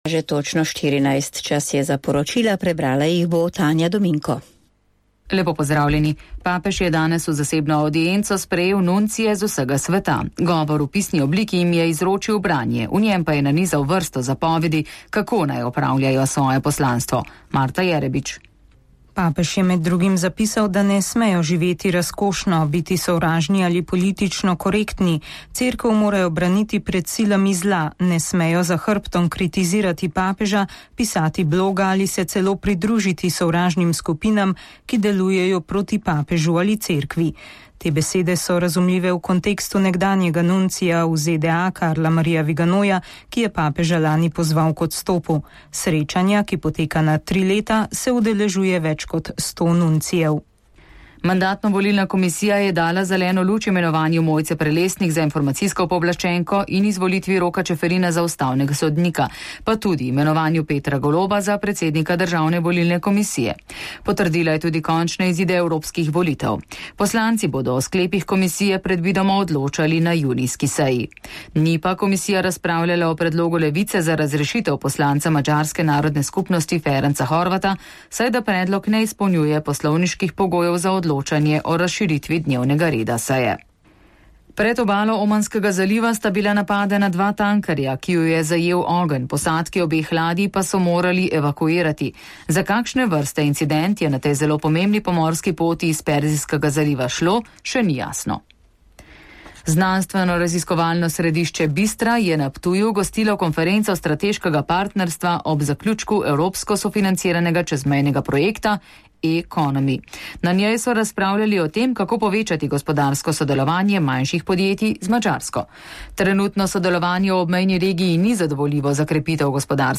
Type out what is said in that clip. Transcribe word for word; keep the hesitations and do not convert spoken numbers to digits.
Že točno štirinajst, čas je za poročila, prebrala jih bo Tanja Dominko. Lepo pozdravljeni. Papež je danes v zasebno audienco sprejel nuncije z vsega sveta. Govor v pisni obliki jim je izročil branje, v njem pa je nanizal vrsto zapovedi, kako naj opravljajo svoje poslanstvo. Marta Jerebič. Papež je med drugim zapisal, da ne smejo živeti razkošno, biti sovražni ali politično korektni. Cerkev morajo braniti pred silami zla, ne smejo za hrbtom kritizirati papeža, pisati bloga ali se celo pridružiti sovražnim skupinam, ki delujejo proti papežu ali cerkvi. Te besede so razumljive v kontekstu nekdanjega nuncija v Z D A Karla Marija Viganoja, ki je papeža lani pozval k odstopu. Srečanja, ki poteka na tri leta, se udeležuje več kot sto nuncijev. Mandatno-volilna komisija je dala zeleno luč imenovanju Mojce Prelesnik za informacijsko pooblaščenko in izvolitvi Roka Čeferina za ustavnega sodnika, pa tudi imenovanju Petra Goloba za predsednika Državne volilne komisije. Potrdila je tudi končne izide evropskih volitev. Poslanci bodo o sklepih komisije predvidoma odločali na junijski seji. Ni pa komisija razpravljala o predlogu Levice za razrešitev poslanca Madžarske narodne skupnosti Ferenca Horvata, saj da predlog ne izpolnjuje poslovniških pogojev za odločanje. odločanje o razširitvi dnevnega reda seje. Pred obalo Omanskega zaliva sta bila napadena dva tankerja, ki ju je zajel ogenj, posadki obeh ladij pa so morali evakuirati. Za kakšne vrste incident je na tej zelo pomembni pomorski poti iz Perzijskega zaliva šlo, še ni jasno. Znanstveno-raziskovalno središče Bistra je na Ptuju gostilo konferenco strateškega partnerstva ob zaključku evropsko sofinanciranega čezmejnega projekta e-Economy. Na njej so razpravljali o tem, kako povečati gospodarsko sodelovanje manjših podjetij z Madžarsko. Trenutno sodelovanje v obmejni regiji ni zadovoljivo za krepitev gospodarstva.